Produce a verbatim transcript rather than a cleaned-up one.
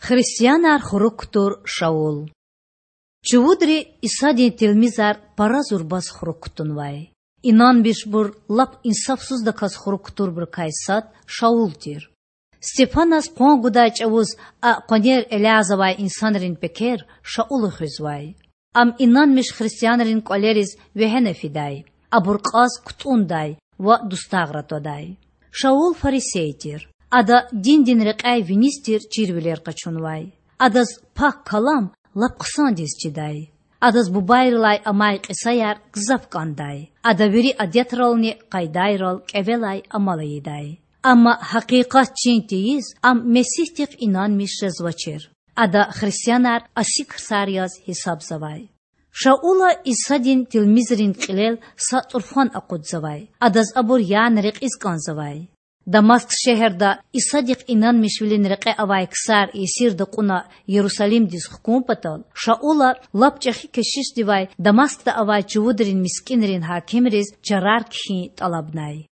Христианар хурук кутур Шаул. Чувудри Исадин тилмизар пара зурбаз хурук кутунвай. Инанмишбур лап инсафсуздаказ хурук кутурбурукай сад Шаул тир. Стефаназ къван гудай чІавуз а къванер элязавай инсанрин пекер Шаула хуьзвай. Ам инанмиш христианрин кІвалериз вегьена фидай, абур кьаз кутІундай ва дустагъра твадай. Шаул фарисей тир. Ада диндин рекьяй виниз тир чирвилер къачунвай. Адаз Пак Калам лап хъсандиз чидай. Адаз бубайрилай амай кьисаяр гзаф кІандай. Ада вири адетрални къайдайрал кІевелай амал ийидай. Амма гьакъикъат чин тийиз, ам Месигьдихъ инанмиш жезвачир. Ада христианар асиксар яз гьисабзавай. Шаула Исадин тилмизрин кьилел са тІурфан акъудзавай, адаз абур яна рекьиз кІанзавай. Дамаск шегьерда Исадихъ инанмишвилин рекье авай ксар есирда кьуна Ярусалимдиз хкун патал, Шаула лап чІехи кешишдивай Дамаскда авай чувудрин мискІинрин гьакимриз чарар кхьин тІалабнай.